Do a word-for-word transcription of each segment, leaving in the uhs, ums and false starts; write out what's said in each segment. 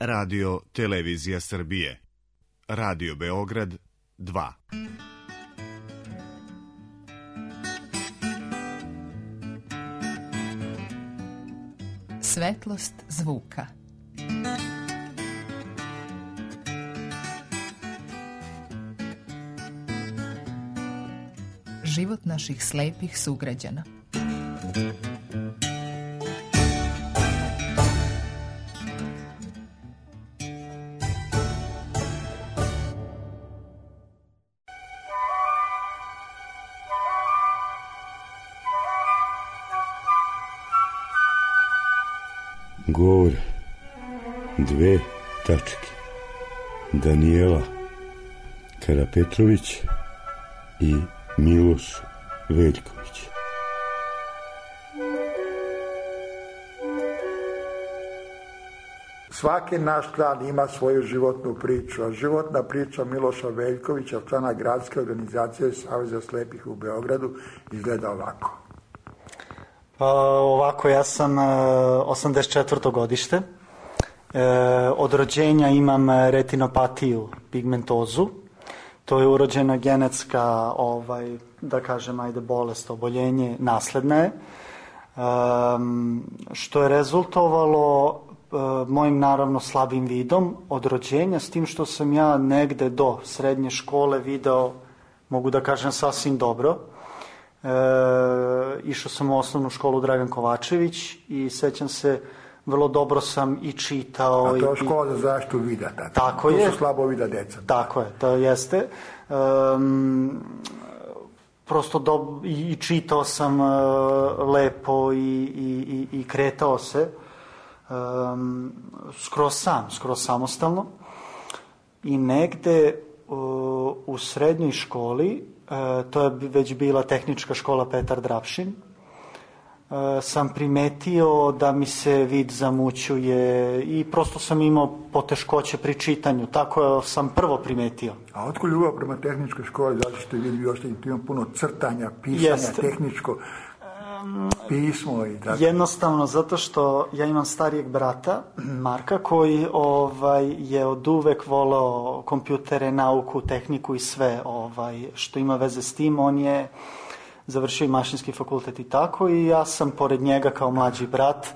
Radio Televizija Srbije. Radio Beograd dva. Svetlost zvuka. Život naših slepih sugrađana. Gore, dve tačke. Danijela Karapetrović i Miloš Veljković. Svaki naš klan ima svoju životnu priču, a životna priča Miloša Veljkovića, člana gradske organizacije Saveza slepih u Beogradu, izgleda ovako. Pa ovako, ja sam osamdeset četvrto godište. E, od rođenja imam retinopatiju, pigmentozu. To je urođena genetska, ovaj, da kažem, ajde, bolest, oboljenje, nasledna je. E, što je rezultovalo e, mojim, naravno, slabim vidom od rođenja, s tim što sam ja negde do srednje škole video, mogu da kažem, sasvim dobro. E, išao sam u osnovnu školu Dragan Kovačević i sećam se, vrlo dobro sam i čitao. A to je škola za zaštitu vida. Tako, tako to je. su slabo vida deca. Tako je, to jeste. Um, prosto do, i, i čitao sam uh, lepo i, i, i, i kretao se um, skroz sam, skroz samostalno. I negde uh, u srednjoj školi, Uh, to je već bila tehnička škola Petar Drapšin, uh, sam primetio da mi se vid zamućuje i prosto sam imao poteškoće pri čitanju. Tako sam prvo primetio. A otkud ljubav prema tehničkoj školi? Zato što vidi još da ima puno crtanja, pisanja, Jest. tehničko pismo i tako. Jednostavno zato što ja imam starijeg brata, Marka, koji ovaj, je od uvek voleo kompjutere, nauku, tehniku i sve ovaj, što ima veze s tim. On je završio i mašinski fakultet i tako, i ja sam pored njega kao mlađi brat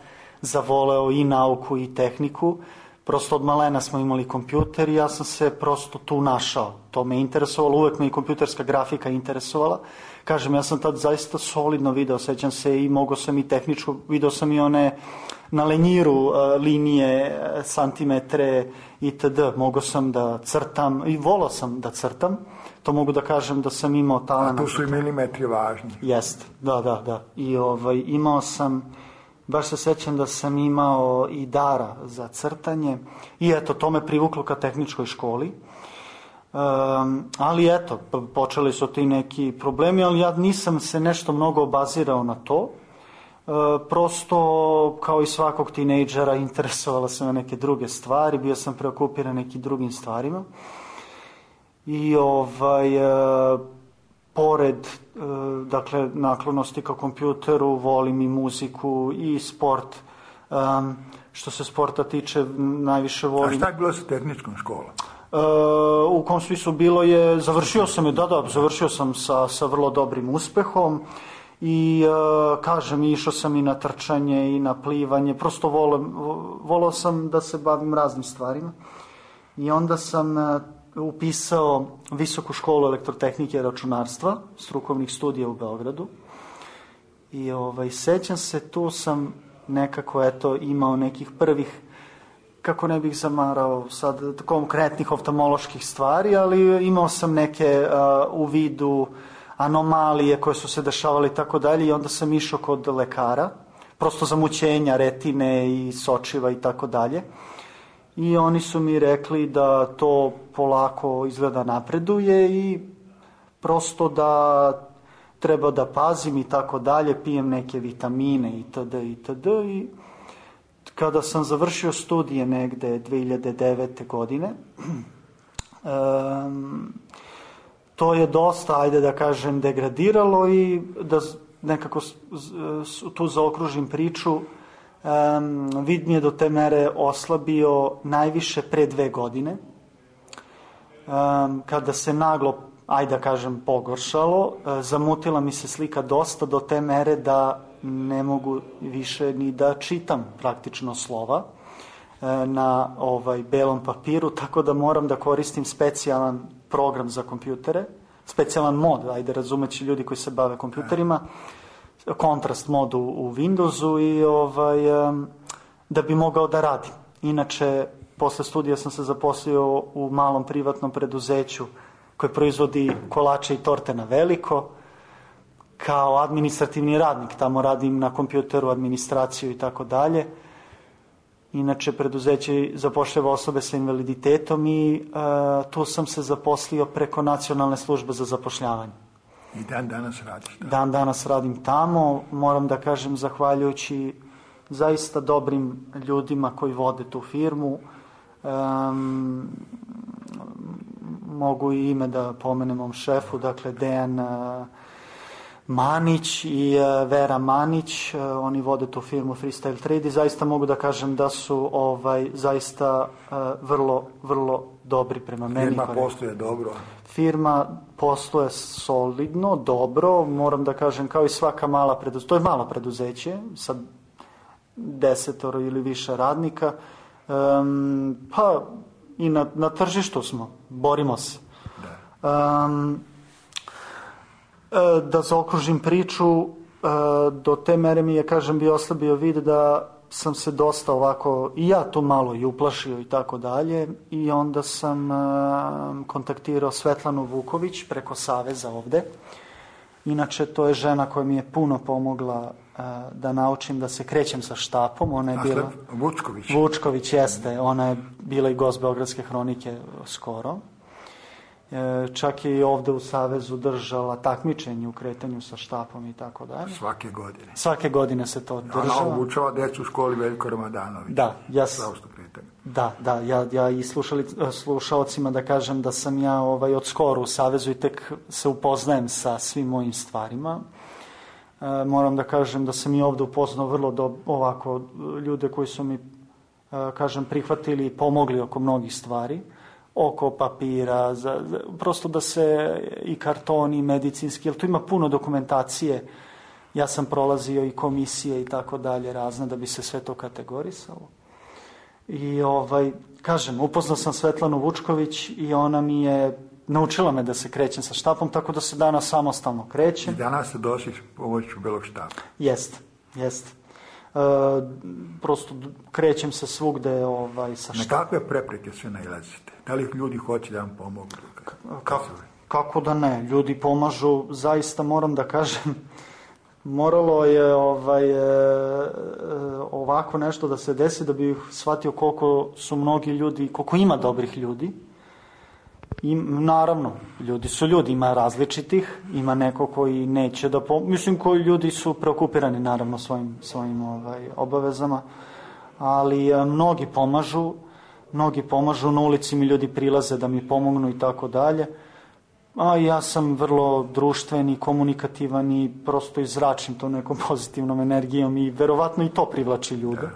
zavoleo i nauku i tehniku. Prosto od malena smo imali kompjuter i ja sam se prosto tu našao. To me interesovalo, uvek me i kompjuterska grafika interesovala. Kažem, ja sam tad zaista solidno video, sećam se, i mogao sam i tehničko, video sam i one na lenjiru uh, linije, santimetre itd. Mogao sam da crtam i volao sam da crtam. To mogu da kažem da sam imao talent. A tu su i milimetri važni. Jeste, da, da, da. I ovaj, imao sam, baš se sećam da sam imao i dara za crtanje i eto, to me privuklo ka tehničkoj školi. Um, ali eto, počeli su ti neki problemi, ali ja nisam se nešto mnogo obazirao na to. Uh, prosto, kao i svakog tinejdžera, interesovala sam na neke druge stvari, bio sam preokupiran nekim drugim stvarima. I ovaj, uh, pored, uh, dakle, naklonosti ka kompjuteru, volim i muziku i sport. Um, što se sporta tiče, najviše volim... A šta je bilo sa tehničkom školom? Uh, u kom smislu bilo je, završio sam je, da, da, završio sam sa, sa vrlo dobrim uspehom i uh, kažem, išao sam i na trčanje i na plivanje, prosto volem, volao sam da se bavim raznim stvarima i onda sam uh, upisao Visoku školu elektrotehnike i računarstva, strukovnih studija u Beogradu i ovaj, sećam se, tu sam nekako eto imao nekih prvih, kako ne bih zamarao sad konkretnih oftalmoloških stvari, ali imao sam neke uh, u vidu anomalije koje su se dešavale i tako dalje i onda sam išao kod lekara, prosto zamućenja retine i sočiva i tako dalje. I oni su mi rekli da to polako izgleda napreduje i prosto da treba da pazim i tako dalje, pijem neke vitamine itd. itd. I kada sam završio studije negde dve hiljade devete. godine, um, to je dosta, ajde da kažem, degradiralo i da nekako tu zaokružim priču, Um, vid mi je do te mere oslabio najviše pre dve godine, um, kada se naglo, ajde da kažem, pogoršalo, uh, zamutila mi se slika dosta do te mere da ne mogu više ni da čitam praktično slova uh, na ovaj belom papiru, tako da moram da koristim specijalan program za kompjutere, specijalan mod, ajde razumeći ljudi koji se bave kompjuterima, kontrast mod u, u Windowsu i ovaj, um, da bi mogao da radim. Inače, posle studija sam se zaposlio u malom privatnom preduzeću koje proizvodi kolače i torte na veliko, kao administrativni radnik. Tamo radim na kompjuteru, administraciju i tako dalje. Inače, preduzeće zapošljava osobe sa invaliditetom i uh, tu sam se zaposlio preko Nacionalne službe za zapošljavanje. I dan danas radiš tamo? Dan danas radim tamo. Moram da kažem, zahvaljujući zaista dobrim ljudima koji vode tu firmu. Um, mogu i ime da pomenem mom šefu, dakle Dejan uh, Manić i uh, Vera Manić, uh, oni vode tu firmu Freestyle Trade i zaista mogu da kažem da su ovaj zaista uh, vrlo, vrlo dobri prema meni. Firma posluje dobro? Firma posluje solidno, dobro, moram da kažem, kao i svaka mala preduzeća, to je malo preduzeće sa desetoro ili više radnika, um, pa i na, na tržištu smo, borimo se. Da, um, da zaokružim priču, do te mere mi je, kažem, bi oslabio vid da sam se dosta ovako, i ja tu malo i uplašio i tako dalje, i onda sam uh, kontaktirao Svetlanu Vuković preko Saveza ovde. Inače, to je žena koja mi je puno pomogla uh, da naučim da se krećem sa štapom. Ona je bila... Vučković. Vučković, jeste. Ona je bila i gost Beogradske hronike skoro. Čak je i ovde u Savezu držala takmičenje u kretanju sa štapom i tako dalje. Svake godine. Svake godine se to država. Ona obučava decu u školi Veljko Ramadanović. Da, ja, da, da, ja, ja i slušali, slušalcima da kažem da sam ja ovaj, od skoro u Savezu i tek se upoznajem sa svim mojim stvarima. E, moram da kažem da sam i ovde upoznao vrlo do, ovako ljude koji su mi, e, kažem, prihvatili i pomogli oko mnogih stvari. Oko papira, za, za, prosto da se i kartoni, medicinski, jer tu ima puno dokumentacije. Ja sam prolazio i komisije i tako dalje razne da bi se sve to kategorisalo. I ovaj, kažem, upoznao sam Svetlanu Vučković i ona mi je naučila me da se krećem sa štapom, tako da se danas samostalno krećem. I danas se došliš pomoću belog štapa. Jeste, jeste. Uh, prosto krećem se svugde ovaj, sa štapom. Na kakve prepreke sve nailazite? Da li ljudi hoće da vam pomogu? Kako, kako da ne? Ljudi pomažu, zaista moram da kažem, moralo je ovaj, e, ovako nešto da se desi da bih shvatio koliko su mnogi ljudi, koliko ima dobrih ljudi. I naravno, ljudi su ljudi, ima različitih, ima neko koji neće da pomoći, mislim koji ljudi su preokupirani naravno svojim, svojim ovaj, obavezama, ali e, mnogi pomažu, mnogi pomažu, na ulici mi ljudi prilaze da mi pomognu i tako dalje, a ja sam vrlo društven i komunikativan i prosto izračim to nekom pozitivnom energijom i verovatno i to privlači ljude.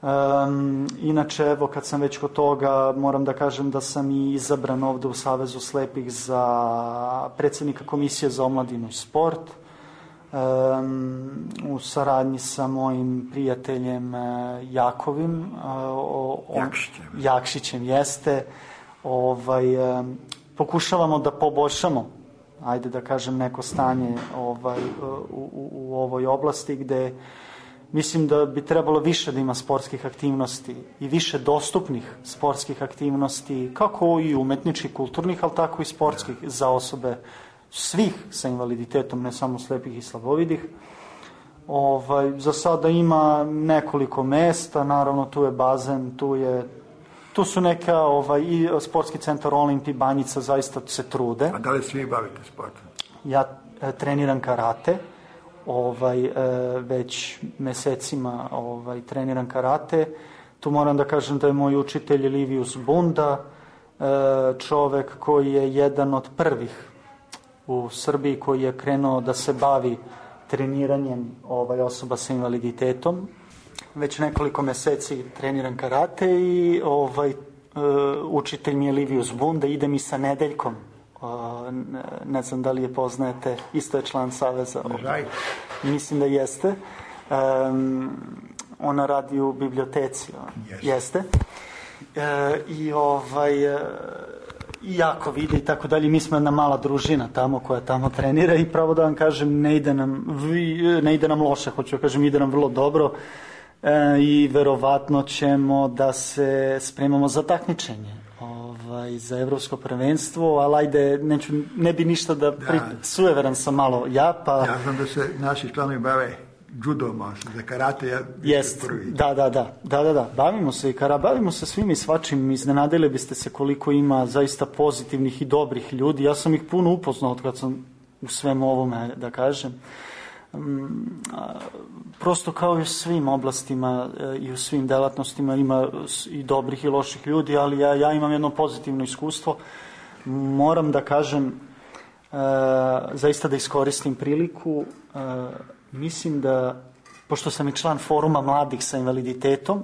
Um, inače, evo, kad sam već kod toga, moram da kažem da sam i izabran ovde u Savezu slepih za predsjednika Komisije za omladinu i sport, um, u saradnji sa mojim prijateljem Jakovim, uh, o, on, Jakšićem. Jakšićem jeste, ovaj, um, pokušavamo da poboljšamo, ajde da kažem, neko stanje ovaj, u, u, u ovoj oblasti gde mislim da bi trebalo više da ima sportskih aktivnosti i više dostupnih sportskih aktivnosti, kako i umetničkih, kulturnih, ali tako i sportskih za osobe svih sa invaliditetom, ne samo slepih i slabovidih. Ovaj, za sada ima nekoliko mesta, naravno tu je bazen, tu je tu su neka, ovaj, i sportski centar Olimpi, Banjica, zaista se trude. A da li svi bavite sportom? Ja e, treniram karate. Ovaj, e, već mesecima ovaj, treniram karate. Tu moram da kažem da je moj učitelj Livius Bunda, e, čovek koji je jedan od prvih u Srbiji koji je krenuo da se bavi treniranjem ovaj, osoba sa invaliditetom. već nekoliko meseci treniram karate i ovaj, uh, učitelj mi je Livius Bun da idem i sa Nedeljkom. Uh, ne, ne znam da li je poznajete, isto je član Saveza. Ovaj. Mislim da jeste. Um, ona radi u biblioteci. Yes. Jeste. E, I ovaj... Uh, i jako vide i tako dalje. Mi smo jedna mala družina tamo koja tamo trenira i pravo da vam kažem ne ide nam, ne ide nam loše, hoću da kažem ide nam vrlo dobro e, i verovatno ćemo da se spremamo za takmičenje ovaj, za evropsko prvenstvo, ali ajde neću, ne bi ništa da, da. Pri... sujeveran sam malo ja pa... Ja znam da se naši članovi bave judom, za karate ja Jest, prvi. Da, da, da, da, da, da, bavimo se i kara, bavimo se svim i svačim, iznenadili biste se koliko ima zaista pozitivnih i dobrih ljudi, ja sam ih puno upoznao od kad sam u svemu ovome, da kažem. Um, a, prosto kao i u svim oblastima e, i u svim delatnostima ima i dobrih i loših ljudi, ali ja, ja imam jedno pozitivno iskustvo. Moram da kažem, e, zaista da iskoristim priliku, e, mislim da, pošto sam i član foruma mladih sa invaliditetom,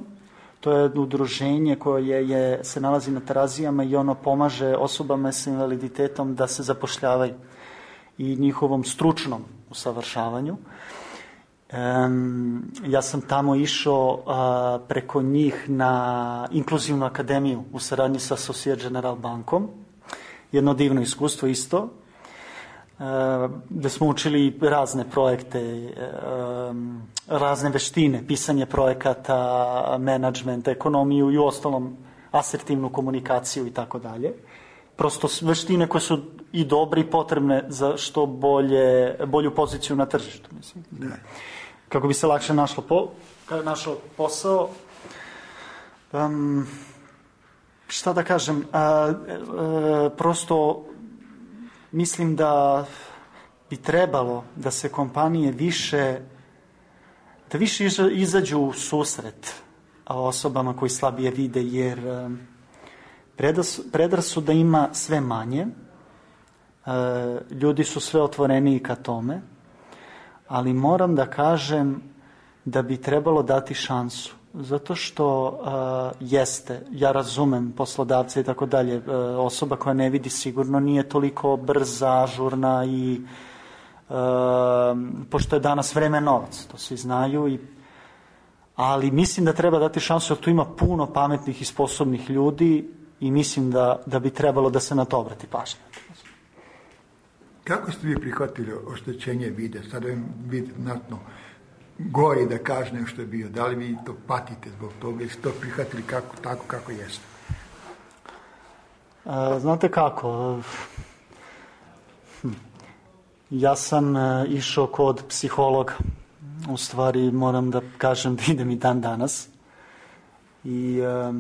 to je udruženje koje je, se nalazi na Terazijama i ono pomaže osobama sa invaliditetom da se zapošljavaju i njihovom stručnom usavršavanju. Um, ja sam tamo išao uh, preko njih na inkluzivnu akademiju u saradnji sa Societe Generale bankom. Jedno divno iskustvo isto. Da smo učili razne projekte, razne veštine, pisanje projekata, menadžment, ekonomiju i ostalom asertivnu komunikaciju i tako dalje. Prosto veštine koje su i dobre i potrebne za što bolje, bolju poziciju na tržištu. Mislim. Kako bi se lakše našlo, po, našlo posao. Um, šta da kažem, a, a, prosto mislim da bi trebalo da se kompanije više, da više izađu u susret osobama koji slabije vide, jer predrasuda ima sve manje, ljudi su sve otvoreniji ka tome, ali moram da kažem da bi trebalo dati šansu. Zato što uh, jeste, ja razumem poslodavce i tako dalje, uh, osoba koja ne vidi sigurno nije toliko brza, ažurna i uh, pošto je danas vreme novac, to svi znaju, i, ali mislim da treba dati šansu, jer tu ima puno pametnih i sposobnih ljudi i mislim da, da bi trebalo da se na to obrati pažnja. Kako ste vi prihvatili oštećenje vida? Sada je vid znatno gori, da kaže nešto je bio. Da li vi to patite zbog toga i ste to prihvatili kako, tako kako jeste? E, znate kako? Hm. Ja sam e, išao kod psihologa. U stvari moram da kažem da idem i dan danas. I e,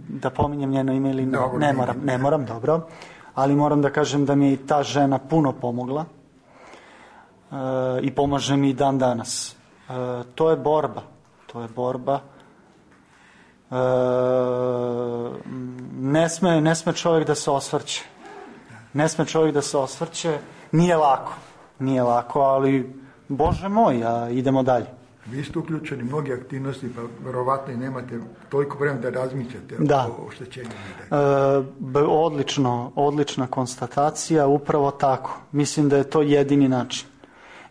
da pominjem njeno ime ili ne, dobro, ne moram, ne moram, dobro. Ali moram da kažem da mi je i ta žena puno pomogla. Uh, i pomaže mi i dan danas. Uh, to je borba. To je borba. Uh, ne sme, ne sme čovjek da se osvrće. Ne sme čovjek da se osvrće. Nije lako. Nije lako, ali Bože moj, a idemo dalje. Vi ste uključeni mnogi aktivnosti, pa verovatno i nemate toliko vremena da razmišljate da. o oštećenju. E, odlično, odlična konstatacija, upravo tako. Mislim da je to jedini način.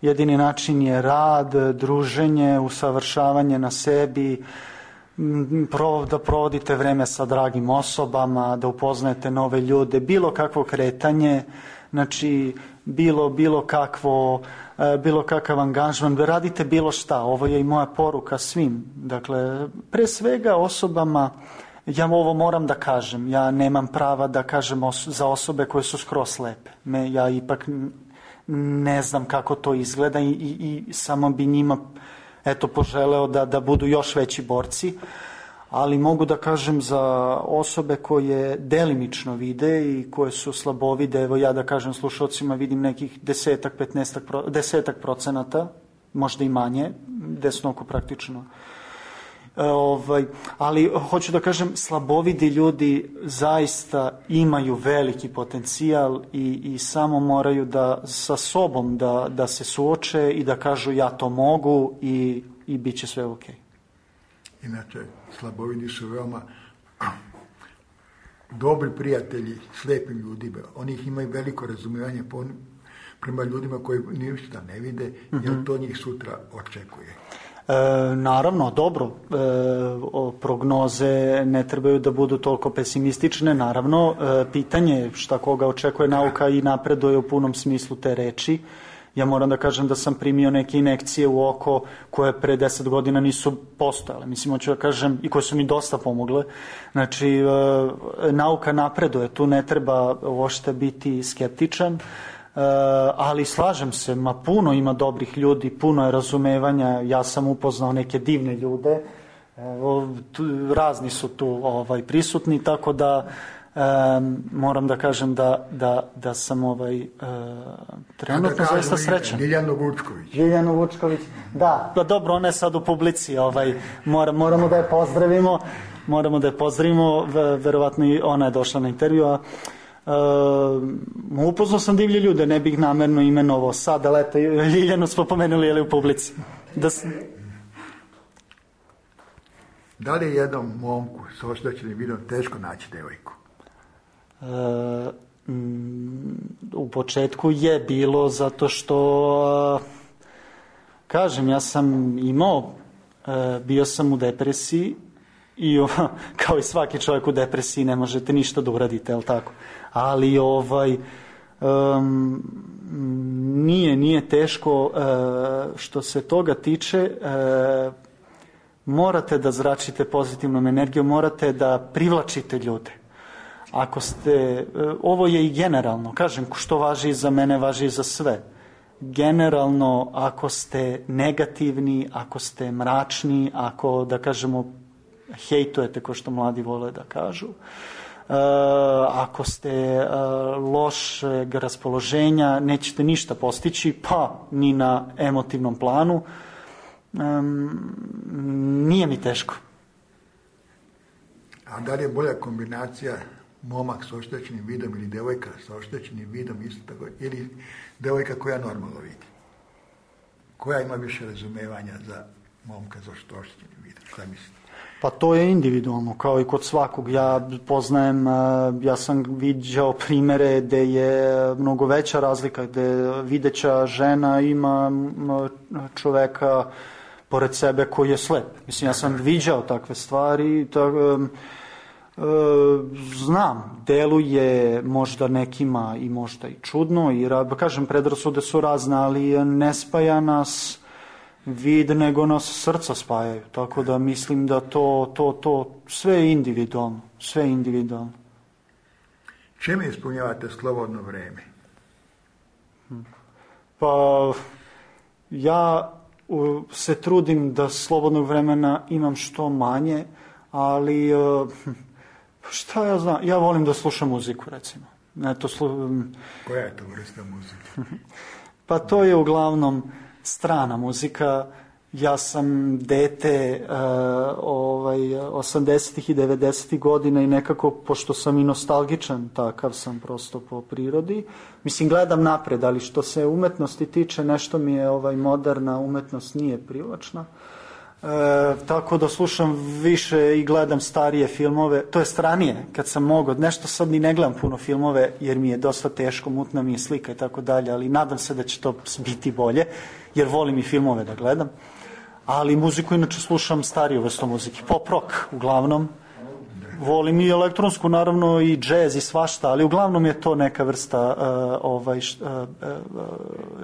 Jedini način je rad, druženje, usavršavanje na sebi, da provodite vreme sa dragim osobama, da upoznajete nove ljude, bilo kakvo kretanje, znači bilo, bilo kakvo, bilo kakav angažman, da radite bilo šta. Ovo je i moja poruka svim. Dakle, pre svega osobama, ja ovo moram da kažem, ja nemam prava da kažem os- za osobe koje su skroz slepe. Me, ja ipak ne znam kako to izgleda i, i, i samo bi njima eto, poželeo da, da budu još veći borci, ali mogu da kažem za osobe koje delimično vide i koje su slabovide, evo ja da kažem slušalcima vidim nekih desetak, petnaestak, desetak procenata, možda i manje, desnoko praktično. E, ovaj, ali hoću da kažem, slabovidi ljudi zaista imaju veliki potencijal i, i samo moraju da sa sobom da, da se suoče i da kažu ja to mogu i i bit će sve ok. Inače, slabovidi su veoma dobri prijatelji slepim ljudima. Oni ih imaju veliko razumijevanje prema ljudima koji ništa ne vide, mm-hmm. jer to njih sutra očekuje. E, naravno, dobro, e, o, prognoze ne trebaju da budu toliko pesimistične, naravno, e, pitanje je šta koga očekuje nauka i napreduje u punom smislu te reči. Ja moram da kažem da sam primio neke injekcije u oko koje pre deset godina nisu postojale. Mislim, hoću da kažem, i koje su mi dosta pomogle. Znači, e, nauka napreduje, tu ne treba uopšte biti skeptičan, e, ali slažem se, ma puno ima dobrih ljudi, puno je razumevanja, ja sam upoznao neke divne ljude, e, tu, razni su tu ovaj, prisutni, tako da Um, moram da kažem da, da, da sam ovaj, uh, trenutno zaista srećan. Ljiljanu Vučković. Ljiljanu Vučković, da, da, dobro, ona je sad u publici, ovaj, mora, moramo da je pozdravimo, moramo da je pozdravimo, verovatno i ona je došla na intervju, a uh, upoznao sam divlje ljude, ne bih namerno imenovao sad, ali eto, Ljiljanu smo pomenuli, je li u publici. Da s... Da li je jednom momku s oštećenim vidom teško naći devojku? Uh, mm, u početku je bilo zato što uh, kažem, ja sam imao uh, bio sam u depresiji i uh, kao i svaki čovjek u depresiji ne možete ništa da uradite, jel tako? Ali ovaj um, nije, nije teško uh, što se toga tiče, uh, morate da zračite pozitivnom energijom, morate da privlačite ljude. Ako ste, ovo je i generalno, kažem, što važi i za mene, važi i za sve. Generalno, ako ste negativni, ako ste mračni, ako, da kažemo, hejtujete, ko što mladi vole da kažu, uh, ako ste uh, lošeg raspoloženja, nećete ništa postići, pa ni na emotivnom planu. Um, nije mi teško. A da li je bolja kombinacija momak s oštećenim vidom ili devojka sa oštećenim vidom isto tako, ili devojka koja normalno vidi? Koja ima više razumevanja za momka s oštećenim vidom? Šta mislite? Pa to je individualno, kao i kod svakog. Ja poznajem, ja sam viđao primere gde je mnogo veća razlika, gde videća žena ima čoveka pored sebe koji je slep. Mislim, ja sam viđao takve stvari, tako, e, znam, deluje možda nekima i možda i čudno, i kažem, predrasude su razne, ali ne spaja nas vid, nego nas srca spajaju, tako da mislim da to, to, to sve je individualno, sve je individualno. Čime ispunjavate slobodno vreme? Pa, ja se trudim da slobodnog vremena imam što manje, ali šta ja znam, ja volim da slušam muziku, recimo. Eto, slu... Koja je to vrsta muzike? Pa to je uglavnom strana muzika. Ja sam dete uh, ovaj, osamdesetih i devedesetih godina i nekako, pošto sam i nostalgičan, takav sam prosto po prirodi. Mislim, gledam napred, ali što se umetnosti tiče, nešto mi je ovaj, moderna umetnost nije privlačna. E, tako da slušam više i gledam starije filmove, to je stranije, kad sam mogao. Nešto sad ni ne gledam puno filmove, jer mi je dosta teško, mutna mi je slika i tako dalje, ali nadam se da će to biti bolje, jer volim i filmove da gledam. Ali muziku inače slušam stariju vrstu muzike, pop rock uglavnom. Volim i elektronsku, naravno, i džez i svašta, ali uglavnom je to neka vrsta uh, ovaj, uh, uh,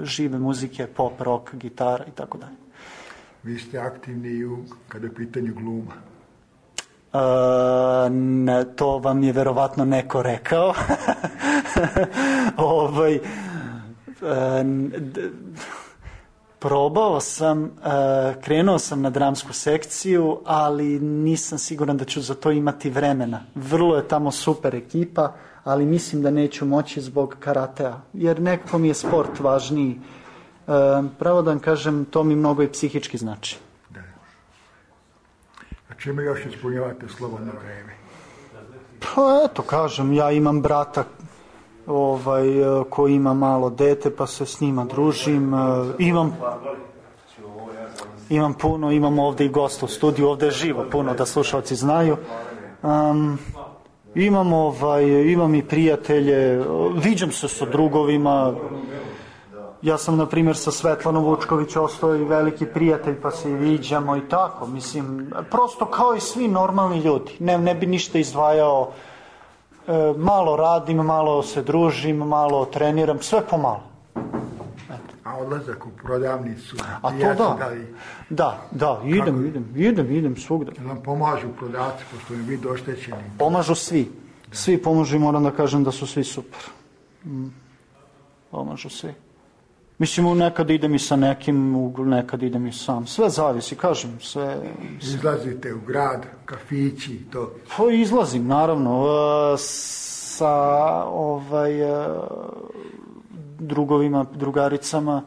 žive muzike, pop, rock, gitara i tako dalje. Vi ste aktivni i u, kada je pitanje gluma. Uh, ne, to vam je verovatno neko rekao. ovaj, uh, d, probao sam, uh, krenuo sam na dramsku sekciju, ali nisam siguran da ću za to imati vremena. Vrlo je tamo super ekipa, ali mislim da neću moći zbog karatea, jer nekako mi je sport važniji. Uh, pravo da vam kažem, to mi mnogo i psihički znači. Da. A čime još ispunjavate slobodno vreme? Pa eto, kažem, ja imam brata ovaj, koji ima malo dete, pa se s njima družim. Uh, imam... Imam puno, imam ovde i gosta u studiju, ovde je živo puno da slušalci znaju. Um, imam, ovaj, imam i prijatelje, viđam se sa drugovima. Ja sam, na primjer, sa Svetlanom Vučković ostao i veliki prijatelj, pa se i viđamo i tako. Mislim, prosto kao i svi normalni ljudi. Ne, ne bi ništa izdvajao. E, malo radim, malo se družim, malo treniram, sve pomalo. A odlazak u prodavnicu? A to da. Da, li... da, da, idem, Kako? idem, idem, idem svugde. Jel vam pomažu prodavci, pošto mi biti oštećeni? Pomažu svi. Da. Svi pomažu i moram da kažem da su svi super. Mm. Pomažu svi. Mislim, nekad idem i sa nekim, nekad idem i sam. Sve zavisi, kažem, sve... Izlazite u grad, kafići, to? Pa izlazim, naravno, sa ovaj, drugovima, drugaricama.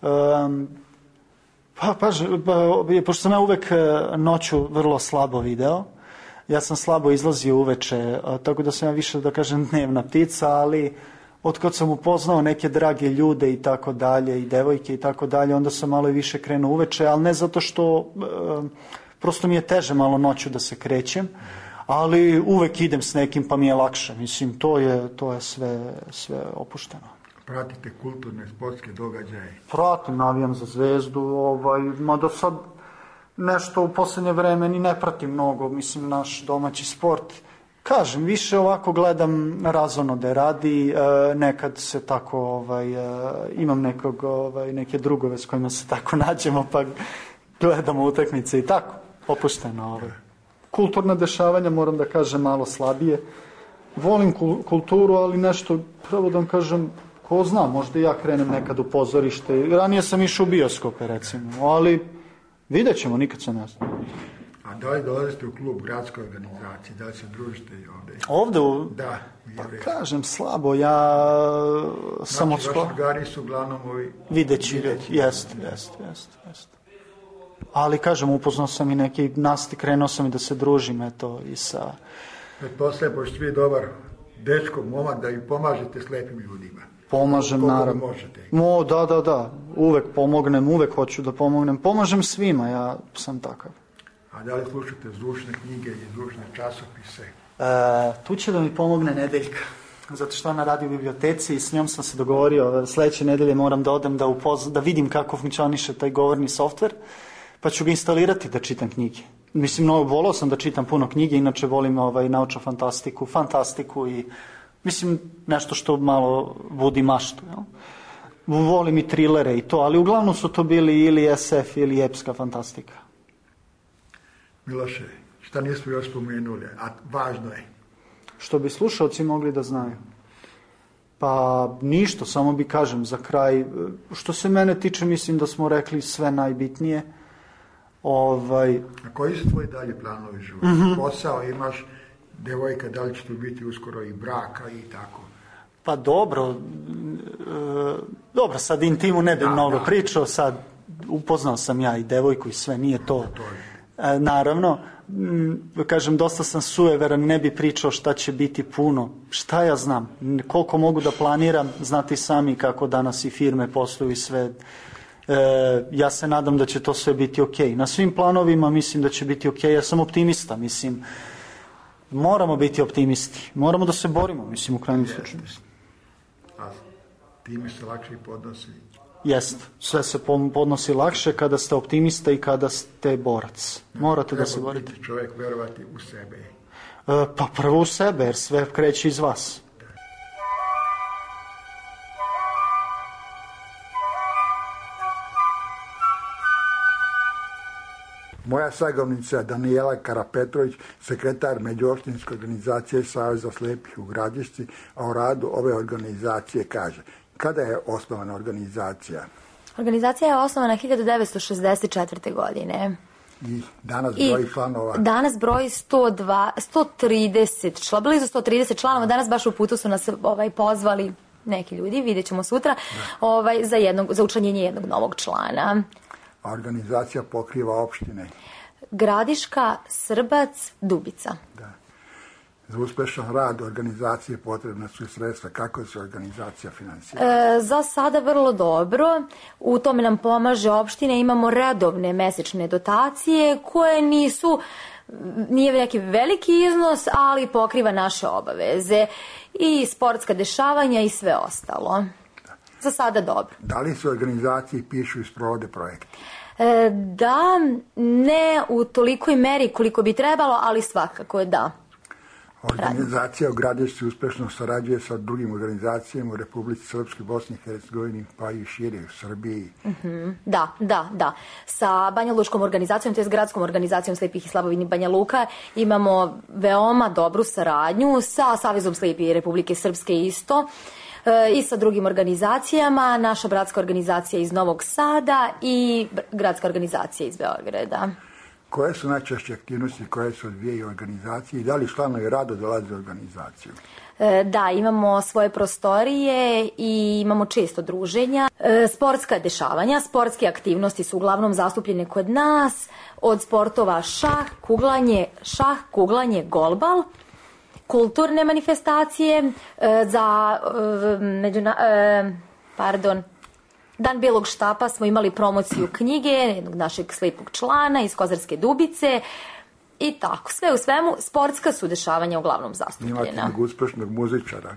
Pa, pa, pa, pošto sam ja uvek noću vrlo slabo video, ja sam slabo izlazio uveče, tako da sam ja više, da kažem, dnevna ptica, ali... Od kad sam upoznao neke drage ljude i tako dalje, i devojke i tako dalje, onda sam malo i više krenuo uveče, ali ne zato što, e, prosto mi je teže malo noću da se krećem, ali uvek idem s nekim pa mi je lakše. Mislim, to je, to je sve, sve opušteno. Pratite kulturne, sportske događaje? Pratim, navijam za Zvezdu, ovaj, mada sad nešto u poslednje vreme ni ne pratim mnogo, mislim, naš domaći sport. Kažem, više ovako gledam razonode radi, e, nekad se tako, ovaj, e, imam nekog, ovaj, neke drugove s kojima se tako nađemo, pa gledamo utakmice i tako, opušteno. Ovaj. Kulturna dešavanja, moram da kažem, malo slabije. Volim kulturu, ali nešto, pravo da vam kažem, ko zna, možda ja krenem nekad u pozorište. Ranije sam išao u bioskope, recimo, ali vidjet ćemo, nikad se ne zna. A da li dolazite u klub gradske organizacije, da li se družite i ovde? Ovde? U... Da. Pa kažem, slabo, ja sam od skoro... Znači, vaši drugari su uglavnom ovi... Videći ljudi, jest, jest, jest, jest. Ali, kažem, upoznao sam i neki nasti, krenuo sam i da se družim, eto, i sa... Pretpostavljam, pošto vi dobar dečko, momak, da i pomažete slepim ljudima. Pomažem, Koliko naravno. Možete. Mo, da, da, da, uvek pomognem, uvek hoću da pomognem. Pomažem svima, ja sam takav. A da li slušate zvučne knjige i zvučne časopise? E, tu će da mi pomogne Nedeljka, zato što ona radi u biblioteci i s njom sam se dogovorio, sledeće nedelje moram da odem da, upozna, da vidim kako funkcioniše taj govorni softver, pa ću ga instalirati da čitam knjige. Mislim, no, volao sam da čitam puno knjige, inače volim ovaj, naučnu fantastiku, fantastiku i mislim nešto što malo budi maštu. Jel? Volim i trilere i to, ali uglavnom su to bili ili es ef ili epska fantastika. Miloše, šta nismo još spomenuli, a važno je? Što bi slušalci mogli da znaju? Pa ništa, samo bi kažem za kraj. Što se mene tiče, mislim da smo rekli sve najbitnije. Ovaj... A koji su tvoji dalje planovi života? Mm-hmm. Posao imaš, devojka, da li će tu biti uskoro i braka i tako? Pa dobro, e, dobro, sad intimu ne bi da, mnogo da. pričao, sad upoznao sam ja i devojku i sve, nije to... to je... E, naravno, m, kažem, dosta sam sujeveran, ne bi pričao šta će biti puno. Šta ja znam, koliko mogu da planiram, znate sami kako danas i firme posluju i sve. E, ja se nadam da će to sve biti okej. Na svim planovima mislim da će biti okej, ja sam optimista, mislim, moramo biti optimisti, moramo da se borimo, mislim, u krajnjem slučaju. A time se lakše i podnosi. Jest, sve se podnosi lakše kada ste optimista i kada ste borac. Morate Treba da se borite. Treba čovjek verovati u sebe. E, pa prvo u sebe, jer sve kreće iz vas. Moja sagovornica Danijela Karapetrović, sekretar Međuopštinske organizacije Saveza slepih u Gradišci, a o radu ove organizacije kaže: kada je osnovana organizacija? Organizacija je osnovana hiljadu devetsto šezdeset četvrte. godine. I danas broji članova? Danas broji sto dva, sto trideset, čla, blizu sto trideset članova. Danas baš u putu su nas ovaj, pozvali neki ljudi, vidjet ćemo sutra, ovaj, za, jednog, za učlanjenje jednog novog člana. A organizacija pokriva opštine? Gradiška, Srbac, Dubica. Da. Za uspešan rad organizacije potrebna su i sredstva. Kako se organizacija finansira? E, za sada vrlo dobro. U tome nam pomaže opština. Imamo redovne mesečne dotacije koje nisu, nije neki veliki iznos, ali pokriva naše obaveze i sportska dešavanja i sve ostalo. Za sada dobro. Da li se organizaciji pišu i sprovode projekti? E, da, ne u tolikoj meri koliko bi trebalo, ali svakako da. Organizacija u Gradišci uspešno sarađuje sa drugim organizacijama u Republici Srpskoj, Bosni i Hercegovini, pa i šire u Srbiji. Mm-hmm. Da, da, da. Sa Banja Lučkom organizacijom, to je gradskom organizacijom slepih i slabovidnih Banja Luka, imamo veoma dobru saradnju sa Savezom slepih Republike Srpske isto, e, i sa drugim organizacijama, naša bratska organizacija iz Novog Sada i gradska organizacija iz Beograda. Koje su najčešće aktivnosti koje se odvijaju u organizaciji i da li članovi rado dolaze u organizaciju? E, da, imamo svoje prostorije i imamo često druženja. E, sportska dešavanja, sportske aktivnosti su uglavnom zastupljene kod nas, od sportova šah, kuglanje, šah, kuglanje, golbal, kulturne manifestacije, e, za e, međuna, e, pardon, Dan Belog štapa smo imali promociju knjige jednog našeg slepog člana iz Kozarske Dubice i tako. Sve u svemu, sportska su dešavanja uglavnom zastupljena. Imate jednog uspešnog muzičara.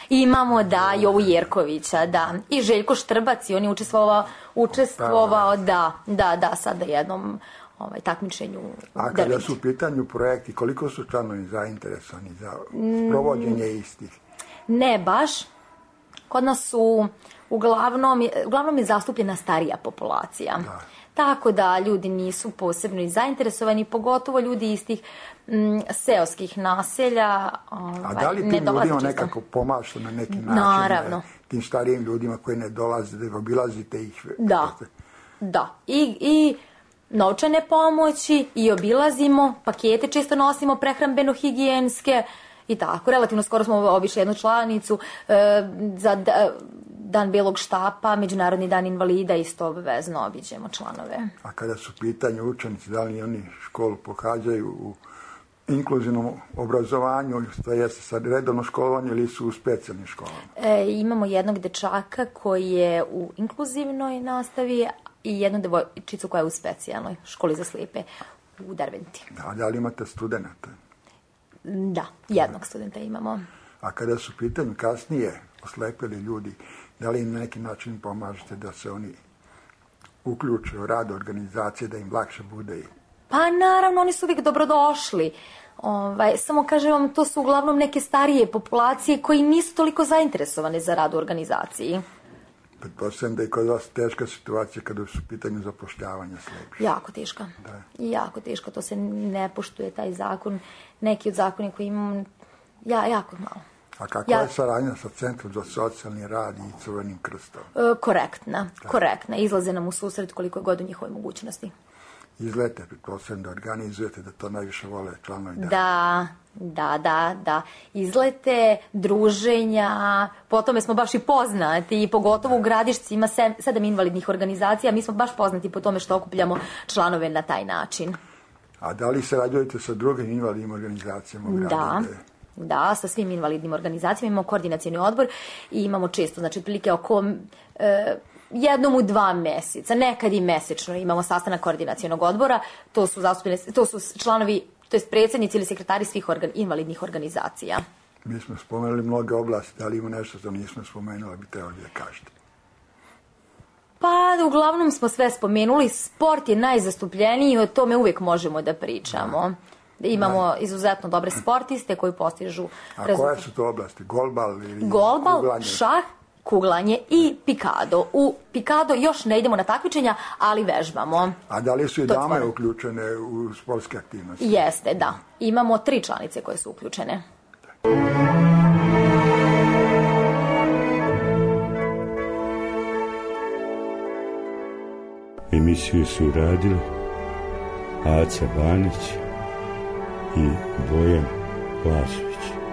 Imamo, da, Jovu Jerkovića, da. I Željko Štrbac, i on je učestvovao, učestvovao da, da, da, sad na jednom ovaj, takmičenju. A kada su u pitanju projekti, koliko su članovi zainteresovani za provođenje istih? Ne baš. Kod nas su uglavnom, uglavnom je zastupljena starija populacija. Da. Tako da ljudi nisu posebno i zainteresovani, pogotovo ljudi iz tih m, seoskih naselja. Ovaj, A da li tim ljudima čisto nekako pomažete na neki način? Naravno. Tim starijim ljudima koji ne dolaze, da obilazite ih? Da, da. I, i novčane pomoći, i obilazimo, pakete često nosimo, prehrambeno-higijenske, i tako. Relativno skoro smo obišli jednu članicu e, za da, Dan Belog štapa, Međunarodni dan invalida, isto obavezno obiđemo članove. A kada su pitanje učenici, da li oni školu pohađaju u inkluzivnom obrazovanju, to jeste sad redovno školovanje ili su u specijalnim školama? E, imamo jednog dečaka koji je u inkluzivnoj nastavi i jednu devojčicu koja je u specijalnoj školi za slijepe u Derventi. A da li imate studenta? Da, jednog studenta imamo. A kada su pitanju kasnije oslepili ljudi, da li im na neki način pomažete da se oni uključe u rad organizacije, da im lakše bude? Pa naravno, oni su uvijek dobrodošli. Ovaj, samo kažem vam, to su uglavnom neke starije populacije koji nisu toliko zainteresovane za rad u organizaciji. Pretpostavljam da je kod vas teška situacija kada su u pitanju zapošljavanja slepih. Jako teška. Da. Jako teška, to se ne poštuje taj zakon. Neki od zakona koji imam, ja, jako malo. A kakva ja... je saradnja sa Centrom za socijalni rad i Crvenim krstom? E, korektna, da. korektna. Izlaze nam u susret koliko je god u njihovoj mogućnosti. Izlete, pretpostavljam da organizujete, da to najviše vole članovi. Da, da, da, da, da. Izlete, druženja, po tome smo baš i poznati, i pogotovo u Gradišci ima sedam invalidnih organizacija, mi smo baš poznati po tome što okupljamo članove na taj način. A da li se rađujete sa drugim invalidnim organizacijama u gradu? Da. Da, sa svim invalidnim organizacijama imamo koordinacioni odbor i imamo često, znači otprilike oko e, jednom u dva meseca, nekad i mesečno imamo sastanak koordinacionog odbora, to su zastupljene, to su članovi, to jest predsjednici ili sekretari svih organ, invalidnih organizacija. Mi smo spomenuli mnoge oblasti, da li ima nešto što nismo spomenuli, bi trebali da kažete? Pa, uglavnom smo sve spomenuli, sport je najzastupljeniji i o tome uvijek možemo da pričamo. Da. Imamo da. izuzetno dobre sportiste koji postižu... A rezultat. Koje su to oblasti? Golbal ili Golbal, kuglanje? Šah, kuglanje i pikado. U pikado još ne idemo na takmičenja, ali vežbamo. A da li su i dame tvore. uključene u sportske aktivnosti? Jeste, da. Imamo tri članice koje su uključene. Emisiju su radili Aca Banić i Bojan Lazović.